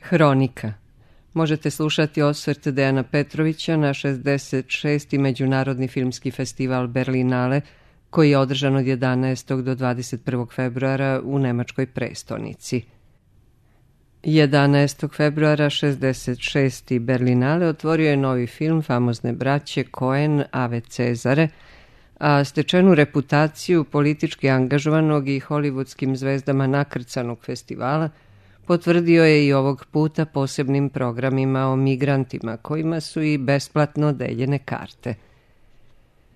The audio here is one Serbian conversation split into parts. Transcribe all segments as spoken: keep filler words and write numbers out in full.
Hronika. Možete slušati osvrt Dejana Petrovića na šezdeset šesti. Međunarodni filmski festival Berlinale, koji je održan od jedanaestog do dvadeset prvog februara u nemačkoj prestonici. jedanaestog februara šezdeset šesti. Berlinale otvorio je novi film famozne braće Coen Ave Cezare, a stečenu reputaciju politički angažovanog i hollywoodskim zvezdama nakrcanog festivala potvrdio je i ovog puta posebnim programima o migrantima, kojima su i besplatno deljene karte.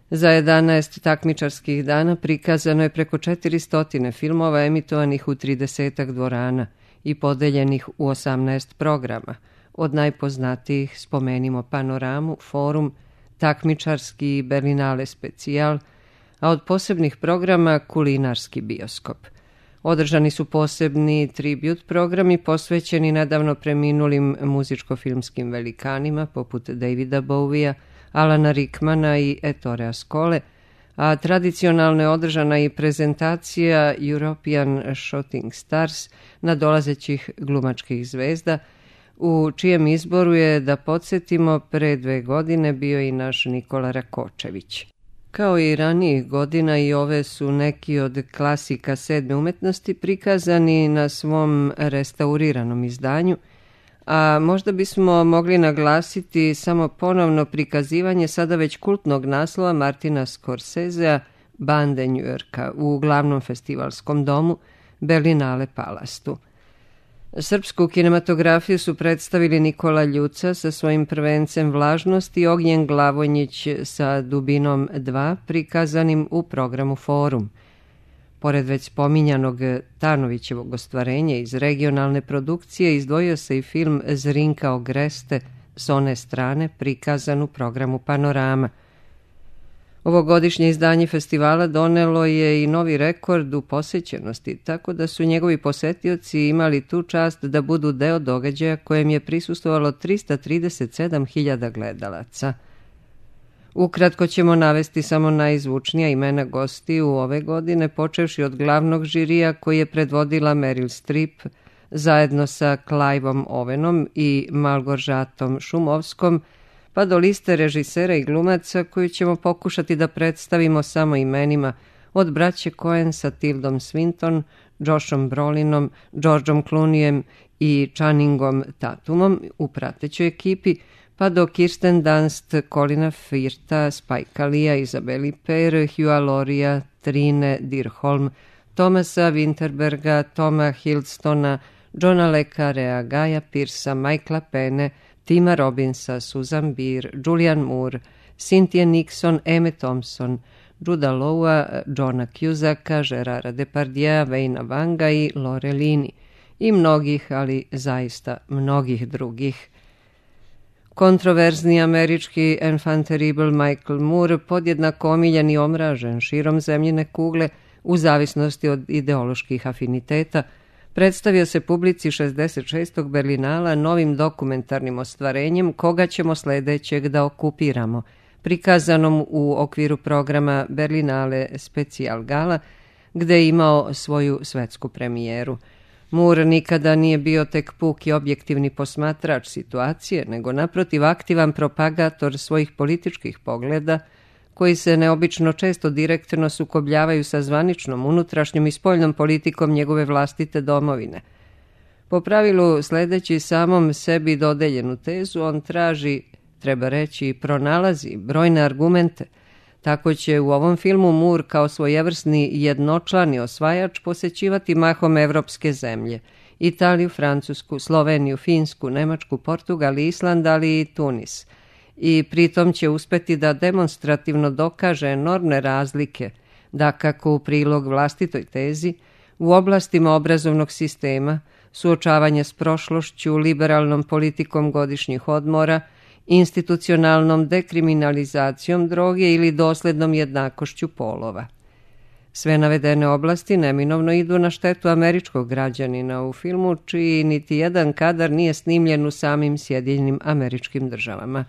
Za jedanaest takmičarskih dana prikazano je preko četiristo filmova emitovanih u tridesetak dvorana i podeljenih u osamnaest programa. Od najpoznatijih spomenimo Panoramu, Forum, takmičarski Berlinale specijal, a od posebnih programa kulinarski bioskop. Održani su posebni tribut programi posvećeni nedavno preminulim muzičko-filmskim velikanima poput Davida Bowija, Alana Rickmana i Ettore Ascole, a tradicionalno je održana i prezentacija European Shooting Stars nadolazećih glumačkih zvezda, u čijem izboru je, da podsjetimo, pre dve godine bio i naš Nikola Rakočević. Kao i ranijih godina, i ove su neki od klasika sedme umetnosti prikazani na svom restauriranom izdanju, a možda bismo mogli naglasiti samo ponovno prikazivanje sada već kultnog naslova Martina Scorsesea Bande New Yorka u glavnom festivalskom domu Berlinale Palastu. Srpsku kinematografiju su predstavili Nikola Ljuca sa svojim prvencem Vlažnost i Ognjen Glavonjić sa Dubinom dva, prikazanim u programu Forum. Pored već spominjanog Tanovićevog ostvarenja iz regionalne produkcije, izdvojio se i film Zrinka Ogreste s one strane, prikazan u programu Panorama. Ovogodišnje izdanje festivala donelo je i novi rekord u posećenosti, tako da su njegovi posetioci imali tu čast da budu deo događaja kojem je prisustvovalo trista trideset sedam hiljada gledalaca. Ukratko ćemo navesti samo najzvučnija imena gostiju ove godine, počevši od glavnog žirija koji je predvodila Meryl Streep zajedno sa Cliveom Owenom i Malgorzatom Šumovskom, pa do liste režisera i glumaca koju ćemo pokušati da predstavimo samo imenima, od braće Coen sa Tildom Swinton, Joshom Brolinom, Georgeom Clooneyem i Channingom Tatumom u pratećoj ekipi, pa do Kirsten Dunst, Colina Firtha, Spike Leea, Isabelle Huppert, Hugha Lauria, Trine Dirholm, Thomasa Winterberga, Toma Hiddlestona, Johna Le Carrea, Guya Pearcea, Michaela Penne, Tima Robbinsa, Susan Beer, Julianne Moore, Cynthia Nixon, Emma Thompson, Juda Lawa, Johna Cusacka, Gerarda Depardieu, Wayna Wanga i Lore Lini i mnogih, ali zaista mnogih drugih. Kontroverzni američki enfant terrible Michael Moore, podjednako omiljen i omražen širom zemljine kugle u zavisnosti od ideoloških afiniteta, predstavio se publici šezdeset šestog Berlinala novim dokumentarnim ostvarenjem koga ćemo sledećeg da okupiramo, prikazanom u okviru programa Berlinale Specijal Gala, gde je imao svoju svetsku premijeru. Moore nikada nije bio tek puki objektivni posmatrač situacije, nego naprotiv aktivan propagator svojih političkih pogleda, koji se neobično često direktno sukobljavaju sa zvaničnom, unutrašnjom i spoljnom politikom njegove vlastite domovine. Po pravilu, sledeći samom sebi dodeljenu tezu, on traži, treba reći, i pronalazi brojne argumente. Tako će u ovom filmu Moore kao svojevrsni jednočlani osvajač posećivati mahom evropske zemlje, Italiju, Francusku, Sloveniju, Finsku, Nemačku, Portugal, Island, ali i Tunis. I pritom će uspeti da demonstrativno dokaže enormne razlike, da kako u prilog vlastitoj tezi, u oblastima obrazovnog sistema, suočavanja s prošlošću, liberalnom politikom godišnjih odmora, institucionalnom dekriminalizacijom droge ili doslednom jednakošću polova. Sve navedene oblasti neminovno idu na štetu američkog građanina u filmu, čiji niti jedan kadar nije snimljen u samim Sjedinjenim Američkim Državama.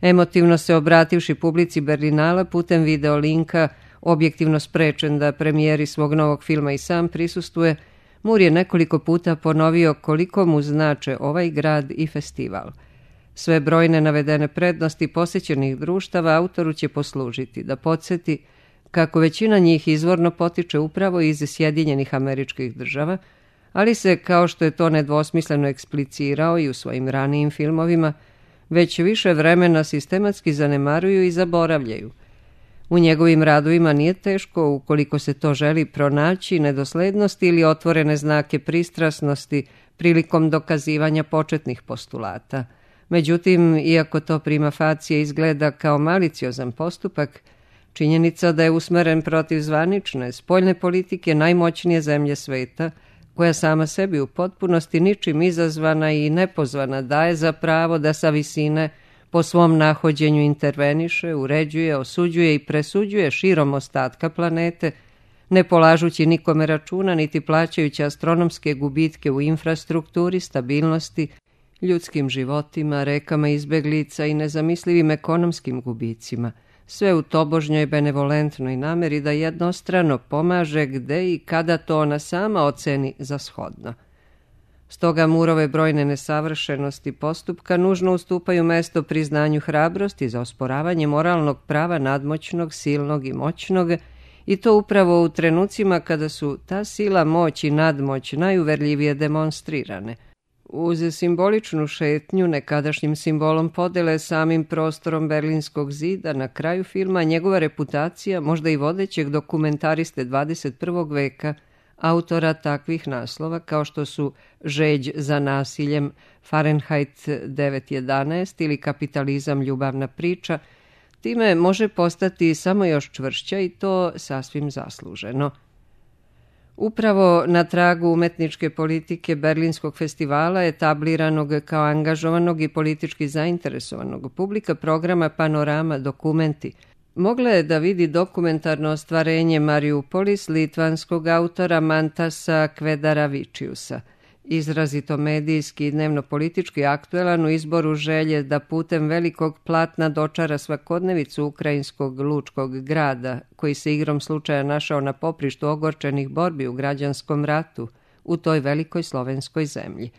Emotivno se obrativši publici Berlinala putem video linka, objektivno sprečen da premijeri svog novog filma i sam prisustuje, Mur je nekoliko puta ponovio koliko mu znače ovaj grad i festival. Sve brojne navedene prednosti posjećenih društava autoru će poslužiti da podsjeti kako većina njih izvorno potiče upravo iz Sjedinjenih Američkih Država, ali se, kao što je to nedvosmisleno eksplicirao i u svojim ranijim filmovima, već više vremena sistematski zanemaruju i zaboravljaju. U njegovim radovima nije teško, ukoliko se to želi, pronaći nedoslednosti ili otvorene znake pristrasnosti prilikom dokazivanja početnih postulata. Međutim, iako to prima facie izgleda kao maliciozan postupak, činjenica da je usmeren protiv zvanične, spoljne politike najmoćnije zemlje sveta, koja sama sebi u potpunosti ničim izazvana i nepozvana daje za pravo da sa visine po svom nahođenju interveniše, uređuje, osuđuje i presuđuje širom ostatka planete, ne polažući nikome računa niti plaćajući astronomske gubitke u infrastrukturi, stabilnosti, ljudskim životima, rekama izbeglica i nezamislivim ekonomskim gubicima, sve u tobožnjoj benevolentnoj nameri da jednostrano pomaže gde i kada to ona sama oceni za shodno. Stoga Murove brojne nesavršenosti postupka nužno ustupaju mesto priznanju hrabrosti za osporavanje moralnog prava nadmoćnog, silnog i moćnog, i to upravo u trenucima kada su ta sila, moć i nadmoć najuverljivije demonstrirane. Uz simboličnu šetnju nekadašnjim simbolom podele samim prostorom Berlinskog zida, na kraju filma njegova reputacija, možda i vodećeg dokumentariste dvadeset prvog veka, autora takvih naslova kao što su Žeđ za nasiljem, Fahrenheit devet jedanaest ili Kapitalizam, ljubavna priča, time može postati samo još čvršća i to sasvim zasluženo. Upravo na tragu umetničke politike Berlinskog festivala, etabliranog kao angažovanog i politički zainteresovanog, publika programa Panorama dokumenti mogla je da vidi dokumentarno ostvarenje Mariupolis litvanskog autora Mantasa Kvedaravičiusa, izrazito medijski i dnevno-politički aktuelan u izboru želje da putem velikog platna dočara svakodnevicu ukrajinskog lučkog grada, koji se igrom slučaja našao na poprištu ogorčenih borbi u građanskom ratu u toj velikoj slovenskoj zemlji.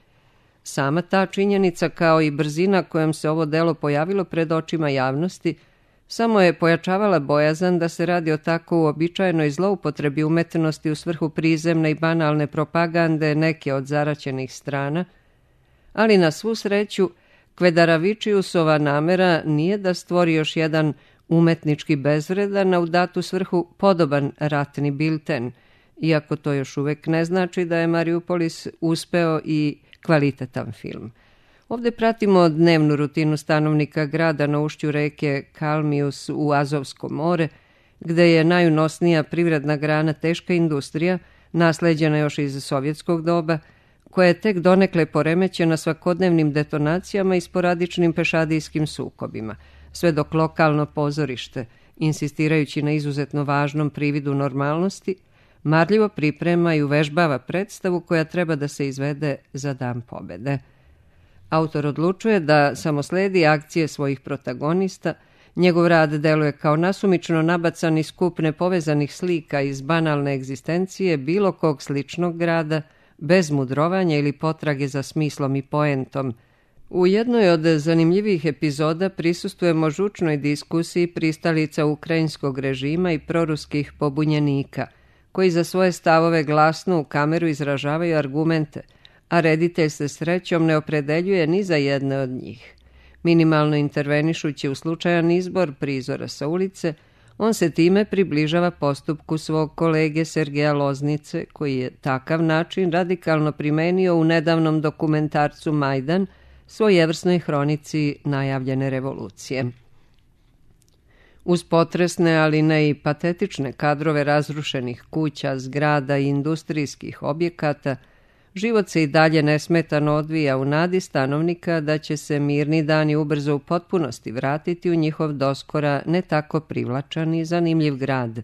Sama ta činjenica, kao i brzina kojom se ovo delo pojavilo pred očima javnosti, samo je pojačavala bojazan da se radi o tako uobičajenoj zloupotrebi umetnosti u svrhu prizemne i banalne propagande neke od zaraćenih strana, ali na svu sreću Kvedaravičiusova namera nije da stvori još jedan umetnički bezvredan, a u datu svrhu podoban ratni bilten, iako to još uvek ne znači da je Mariupolis uspeo i kvalitetan film. Ovde pratimo dnevnu rutinu stanovnika grada na ušću reke Kalmius u Azovsko more, gde je najunosnija privredna grana teška industrija, nasleđena još iz sovjetskog doba, koja je tek donekle poremećena svakodnevnim detonacijama i sporadičnim pešadijskim sukobima, sve dok lokalno pozorište, insistirajući na izuzetno važnom prividu normalnosti, marljivo priprema i uvežbava predstavu koja treba da se izvede za Dan pobede. Autor odlučuje da samo sledi akcije svojih protagonista, njegov rad deluje kao nasumično nabacani skup nepovezanih slika iz banalne egzistencije bilo kog sličnog grada, bez mudrovanja ili potrage za smislom i poentom. U jednoj od zanimljivih epizoda prisustujemo žučnoj diskusiji pristalica ukrajinskog režima i proruskih pobunjenika, koji za svoje stavove glasno u kameru izražavaju argumente, a reditelj se srećom ne opredeljuje ni za jedne od njih. Minimalno intervenišući u slučajan izbor prizora sa ulice, on se time približava postupku svog kolege Sergeja Loznice, koji je takav način radikalno primenio u nedavnom dokumentarcu Majdan, svojevrsnoj hronici najavljene revolucije. Uz potresne, ali ne i patetične kadrove razrušenih kuća, zgrada i industrijskih objekata, život se i dalje nesmetano odvija u nadi stanovnika da će se mirni dani ubrzo u potpunosti vratiti u njihov doskora ne tako privlačan i zanimljiv grad.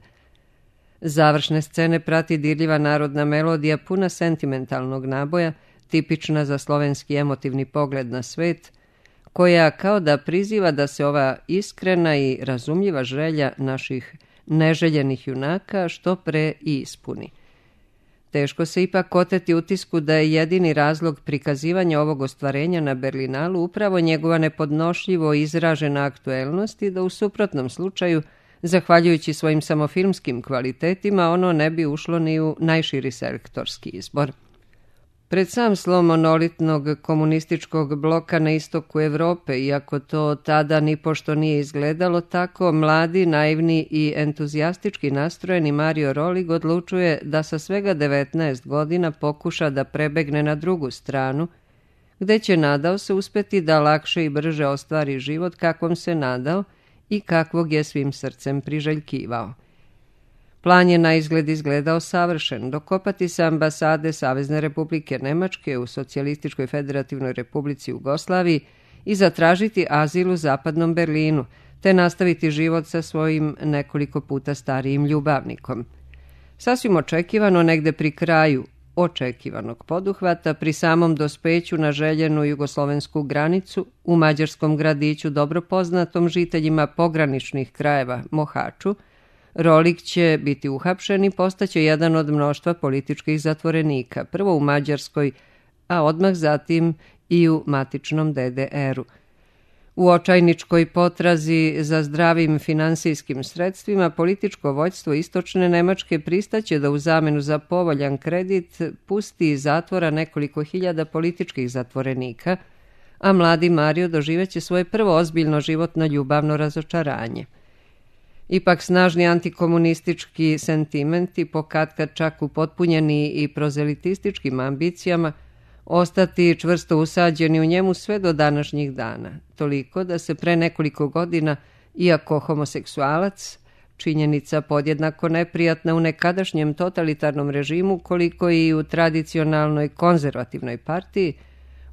Završne scene prati dirljiva narodna melodija puna sentimentalnog naboja, tipična za slovenski emotivni pogled na svet, koja kao da priziva da se ova iskrena i razumljiva želja naših neželjenih junaka što pre i ispuni. Teško se ipak oteti utisku da je jedini razlog prikazivanja ovog ostvarenja na Berlinalu upravo njegova nepodnošljivo izražena aktuelnost i da u suprotnom slučaju, zahvaljujući svojim samofilmskim kvalitetima, ono ne bi ušlo ni u najširi selektorski izbor. Pred sam slom monolitnog komunističkog bloka na istoku Evrope, iako to tada nipošto nije izgledalo tako, mladi, naivni i entuzijastički nastrojeni Mario Rolig odlučuje da sa svega devetnaest godina pokuša da prebegne na drugu stranu, gde će, nadao se, uspeti da lakše i brže ostvari život kakvom se nadao i kakvog je svim srcem priželjkivao. Plan je na izgled izgledao savršen, dokopati se ambasade Savezne Republike Nemačke u Socijalističkoj Federativnoj Republici Jugoslaviji i zatražiti azil u zapadnom Berlinu, te nastaviti život sa svojim nekoliko puta starijim ljubavnikom. Sasvim očekivano, negde pri kraju očekivanog poduhvata, pri samom dospeću na željenu jugoslovensku granicu, u mađarskom gradiću dobro poznatom žiteljima pograničnih krajeva Mohaču, Rolig će biti uhapšen i postaće jedan od mnoštva političkih zatvorenika, prvo u Mađarskoj, a odmah zatim i u matičnom de de eru. U očajničkoj potrazi za zdravim finansijskim sredstvima, političko vođstvo istočne Nemačke pristaće da u zamenu za povoljan kredit pusti iz zatvora nekoliko hiljada političkih zatvorenika, a mladi Mario doživeće svoje prvo ozbiljno životno ljubavno razočaranje. Ipak snažni antikomunistički sentimenti, pokatkad čak upotpunjeni i prozelitističkim ambicijama, ostati čvrsto usađeni u njemu sve do današnjih dana, toliko da se pre nekoliko godina, iako homoseksualac, činjenica podjednako neprijatna u nekadašnjem totalitarnom režimu koliko i u tradicionalnoj konzervativnoj partiji,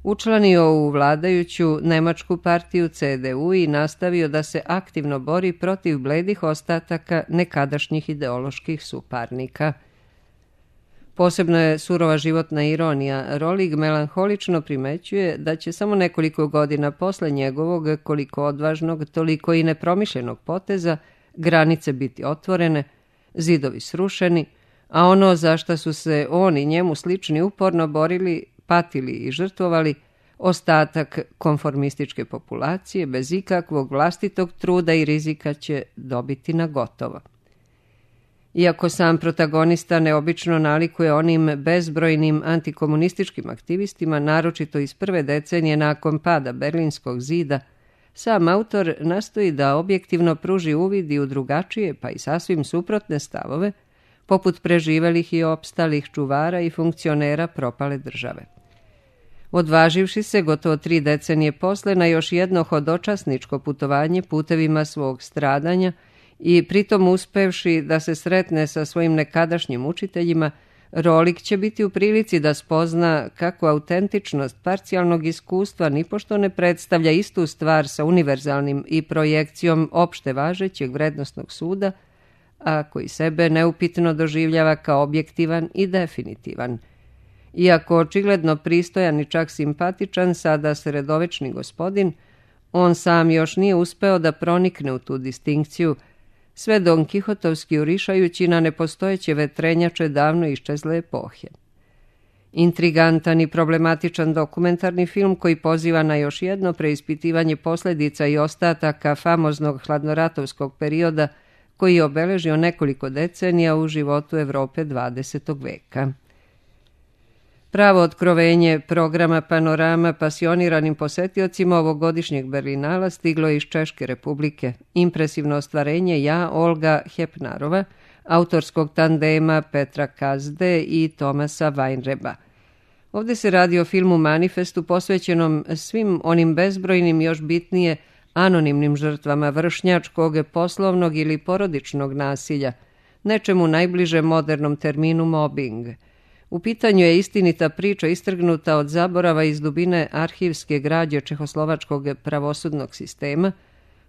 učlanio u vladajuću nemačku partiju ce de u i nastavio da se aktivno bori protiv bledih ostataka nekadašnjih ideoloških suparnika. Posebno je surova životna ironija. Rolig melanholično primećuje da će samo nekoliko godina posle njegovog, koliko odvažnog, toliko i nepromišljenog poteza, granice biti otvorene, zidovi srušeni, a ono za šta su se oni njemu slični uporno borili, patili i žrtvovali, ostatak konformističke populacije bez ikakvog vlastitog truda i rizika će dobiti na gotovo. Iako sam protagonista neobično nalikuje onim bezbrojnim antikomunističkim aktivistima, naročito iz prve decenije nakon pada Berlinskog zida, sam autor nastoji da objektivno pruži uvid i u drugačije, pa i sasvim suprotne stavove, poput preživelih i opstalih čuvara i funkcionera propale države. Odvaživši se gotovo tri decenije posle na još jedno hodočasničko putovanje putevima svog stradanja i pritom uspevši da se sretne sa svojim nekadašnjim učiteljima, Rolig će biti u prilici da spozna kako autentičnost parcijalnog iskustva nipošto ne predstavlja istu stvar sa univerzalnim i projekcijom opšte važećeg vrednosnog suda, a koji sebe neupitno doživljava kao objektivan i definitivan. Iako očigledno pristojan i čak simpatičan, sada sredovečni gospodin, on sam još nije uspeo da pronikne u tu distinkciju, sve Don Kihotovski urišajući na nepostojeće vetrenjače davno iščezle epohe. Intrigantan i problematičan dokumentarni film koji poziva na još jedno preispitivanje posljedica i ostataka famoznog hladnoratovskog perioda koji je obeležio nekoliko decenija u životu Evrope dvadesetog veka. Pravo otkrovenje programa Panorama pasioniranim posetiocima ovogodišnjeg Berlinala stiglo je iz Češke republike. Impresivno ostvarenje Ja, Olga Hepnarova, autorskog tandema Petra Kazde i Tomasa Weinreba. Ovdje se radi o filmu manifestu posvećenom svim onim bezbrojnim, još bitnije, anonimnim žrtvama vršnjačkog, poslovnog ili porodičnog nasilja, nečemu najbliže modernom terminu mobbing. U pitanju je istinita priča istrgnuta od zaborava iz dubine arhivske građe čehoslovačkog pravosudnog sistema,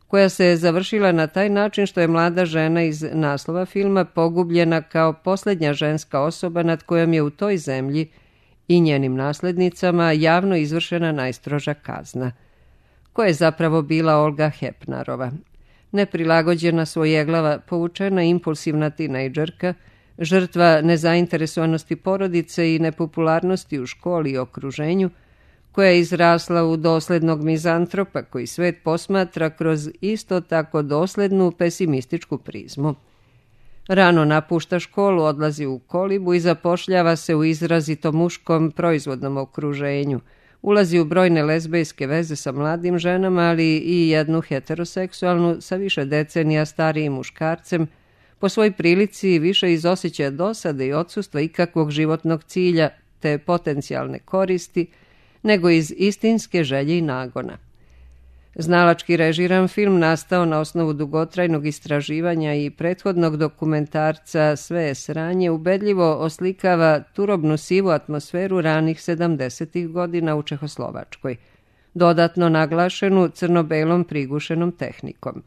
koja se je završila na taj način što je mlada žena iz naslova filma pogubljena kao posljednja ženska osoba nad kojom je u toj zemlji i njenim naslednicama javno izvršena najstroža kazna. Ko je zapravo bila Olga Hepnarova? Neprilagođena, svojeglava, povučena, impulsivna tinejdžerka, žrtva nezainteresovanosti porodice i nepopularnosti u školi i okruženju, koja je izrasla u doslednog mizantropa koji svet posmatra kroz isto tako doslednu pesimističku prizmu. Rano napušta školu, odlazi u kolibu i zapošljava se u izrazito muškom proizvodnom okruženju. Ulazi u brojne lezbejske veze sa mladim ženama, ali i jednu heteroseksualnu sa više decenija starijim muškarcem, po svoj prilici više iz osjećaja dosade i odsustva ikakvog životnog cilja te potencijalne koristi, nego iz istinske želje i nagona. Znalački režiran film nastao na osnovu dugotrajnog istraživanja i prethodnog dokumentarca Sve je sranje ubedljivo oslikava turobnu sivu atmosferu ranih sedamdesetih godina u Čehoslovačkoj, dodatno naglašenu crno-belom prigušenom tehnikom.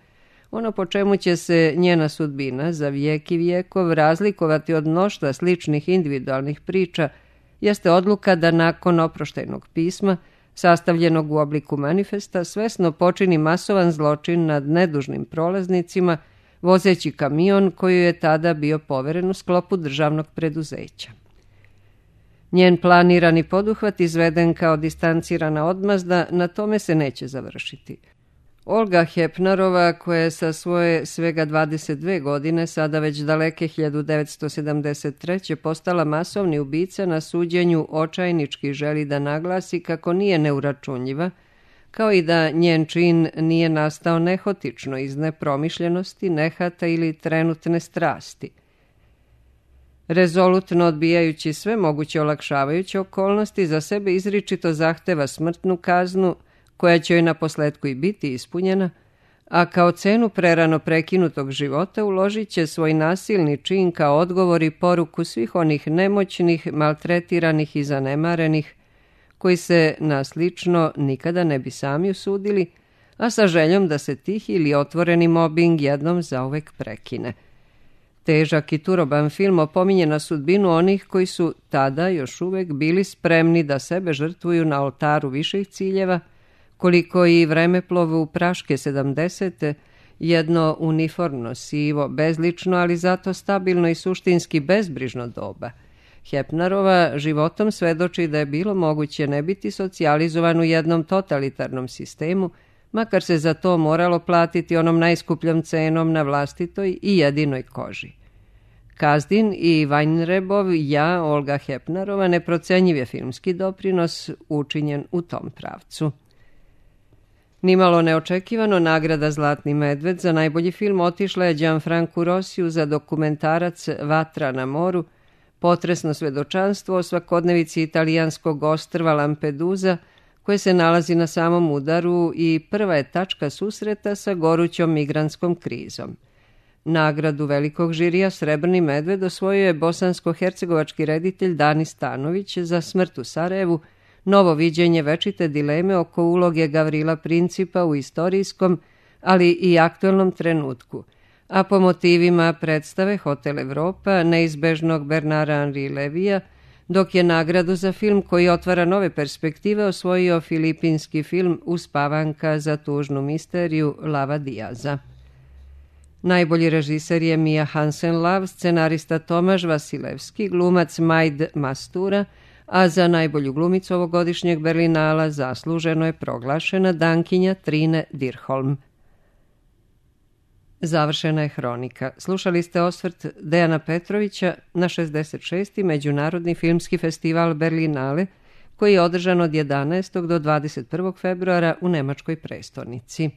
Ono po čemu će se njena sudbina za vijek i vijekov razlikovati od mnoštva sličnih individualnih priča jeste odluka da nakon oproštajnog pisma, sastavljenog u obliku manifesta, svesno počini masovan zločin nad nedužnim prolaznicima, vozeći kamion koji je tada bio poveren u sklopu državnog preduzeća. Njen planirani poduhvat, izveden kao distancirana odmazda, na tome se neće završiti. Olga Hepnarova, koja je sa svoje svega dvadeset dve godine, sada već daleke hiljadu devetsto sedamdeset treće postala masovni ubica, na suđenju očajnički želi da naglasi kako nije neuračunljiva, kao i da njen čin nije nastao nehotično iz nepromišljenosti, nehata ili trenutne strasti. Rezolutno odbijajući sve moguće olakšavajuće okolnosti, za sebe izričito zahteva smrtnu kaznu, koja će joj na posledku i biti ispunjena, a kao cenu prerano prekinutog života uložit će svoj nasilni čin kao odgovor i poruku svih onih nemoćnih, maltretiranih i zanemarenih, koji se na slično nikada ne bi sami usudili, a sa željom da se tih ili otvoreni mobing jednom zauvek prekine. Težak i turoban film opominje na sudbinu onih koji su tada još uvek bili spremni da sebe žrtvuju na oltaru viših ciljeva, koliko i vremeplovu praške sedamdesete, jedno uniformno, sivo, bezlično, ali zato stabilno i suštinski bezbrižno doba. Hepnarova životom svedoči da je bilo moguće ne biti socijalizovan u jednom totalitarnom sistemu, makar se za to moralo platiti onom najskupljom cenom na vlastitoj i jedinoj koži. Kazdin i Vajnrebov ja, Olga Hepnarova, neprocenjiv je filmski doprinos učinjen u tom pravcu. Nimalo neočekivano, nagrada Zlatni medved za najbolji film otišla je Gianfrancu Rossiju za dokumentarac Vatra na moru, potresno svedočanstvo o svakodnevici italijanskog ostrva Lampedusa, koje se nalazi na samom udaru i prva je tačka susreta sa gorućom migrantskom krizom. Nagradu velikog žirija Srebrni medved osvojio je bosansko-hercegovački reditelj Dani Stanović za Smrt u Sarajevu, novo viđenje večite dileme oko uloge Gavrila Principa u istorijskom, ali i aktuelnom trenutku, a po motivima predstave Hotel Evropa neizbežnog Bernara Henri Levija, dok je nagradu za film koji otvara nove perspektive osvojio filipinski film Uspavanka za tužnu misteriju Lava Diaza. Najbolji režiser je Mia Hansen-Løve, scenarista Tomaž Vasilevski, glumac Majd Mastura, a za najbolju glumicu ovogodišnjeg Berlinala zasluženo je proglašena Dankinja Trine Dirholm. Završena je hronika. Slušali ste osvrt Dejana Petrovića na šezdeset šesti. Međunarodni filmski festival Berlinale, koji je održan od jedanaestog do dvadeset prvog februara u nemačkoj prestonici.